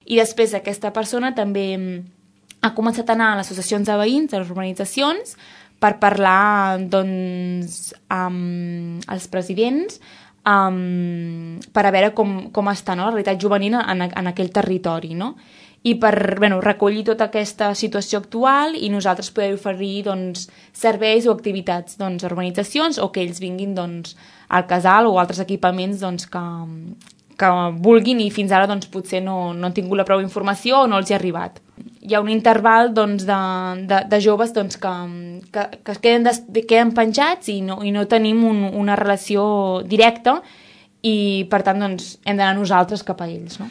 I després aquesta persona també ha començat a anar a les associacions de veïns, a les urbanitzacions, per parlar doncs, amb els presidents per a veure com està, no?, la realitat juvenil en aquell territori, no? I per recollir tota aquesta situació actual i nosaltres poder oferir doncs, serveis o activitats doncs, a urbanitzacions o que ells vinguin doncs, al casal o altres equipaments doncs, que vulguin i fins ara doncs, potser no han tingut la prou informació o no els hi ha arribat. Hi ha un interval doncs, de joves doncs, que queden penjats i no tenim una relació directa i per tant doncs, hem d'anar nosaltres cap a ells, no?